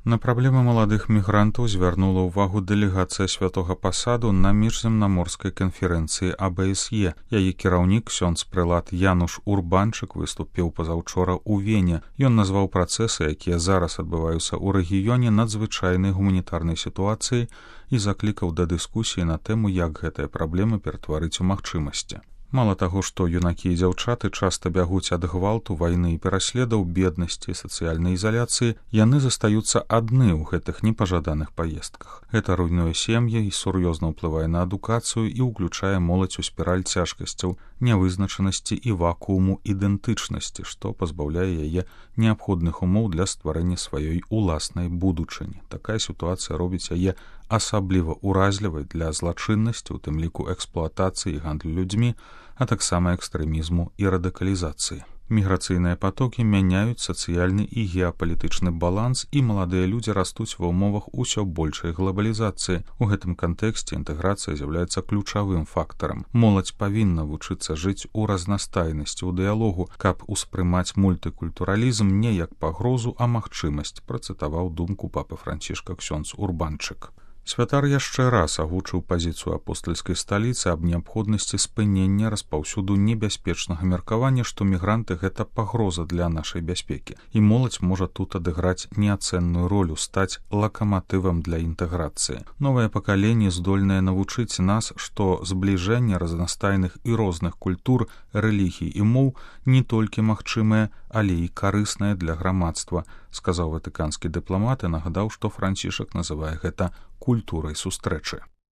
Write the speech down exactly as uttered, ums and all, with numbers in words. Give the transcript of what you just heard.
На праблемы маладых мігрантаў звярнула ўвагу дэлегацыя святога пасаду на міжземнаморскай канферэнцыі А Б С Е. Яе кіраўнік ксёндз прэлат Януш Урбанчык выступіў пазаўчора ў Вене. Ён назваў працэсы, якія зараз адбываюцца ў рэгіёне, надзвычайнай гуманітарнай сітуацыяй і заклікаў да дыскусіі на тэму, як гэтыя праблемы ператварыць у магчымасці. Мала таго, што юнакі і дзяўчаты часта бягуць ад гвалту, вайны і пераследаў, беднасці, сацыяльнай ізаляцыі, яны застаюцца адны ў гэтых непажаданых паездках. Гэта руйнуе сем'і і сур'ёзна ўплывае на адукацыю і ўключае моладзь у спіраль цяжкасцяў, нявызначанасці і вакууму ідэнтычнасці, што пазбаўляе яе неабходных умоў для стварэння сваёй уласнай будучыні. Такая сітуацыя робіць яе асабліва ўразлівай для злачыннасці, у тым ліку эксплуатацыі і гандлю людзьмі, а таксама экстрэмізму і радыкалізацыі. Міграцыйныя патокі мяняюць сацыяльны і геапалітычны баланс, і маладыя людзі растуць ва ўмовах усё большай глобалізацыі. У гэтым кантэксце інтэграцыя з'яўляецца ключавым фактарам. Моладзь павінна вучыцца жыць у разнастайнасці, у дыялогу, каб успрымаць мультыкультуралізм не як пагрозу, а магчымасць, працытаваў думку папы Францішка ксёндз Урбанчык. Святар яшчэ раз агучыў пазіцыю апостальскай сталіцы аб неабходнасці спынення распаўсюду небяспечнага меркавання, што мігранты — гэта пагроза для нашай бяспекі, і моладзь можа тут адыграць неацэнную ролю, стаць лакаматывам для інтэграцыі. Новае пакаленне здольнае навучыць нас, што збліжэнне разнастайных і розных культур, рэлігій і моў не толькі магчымае, але і карыснае для грамадства, сказаў ватыканскі дыпламат і нагадаў, што Францішак называе гэта культурай сустрэчы.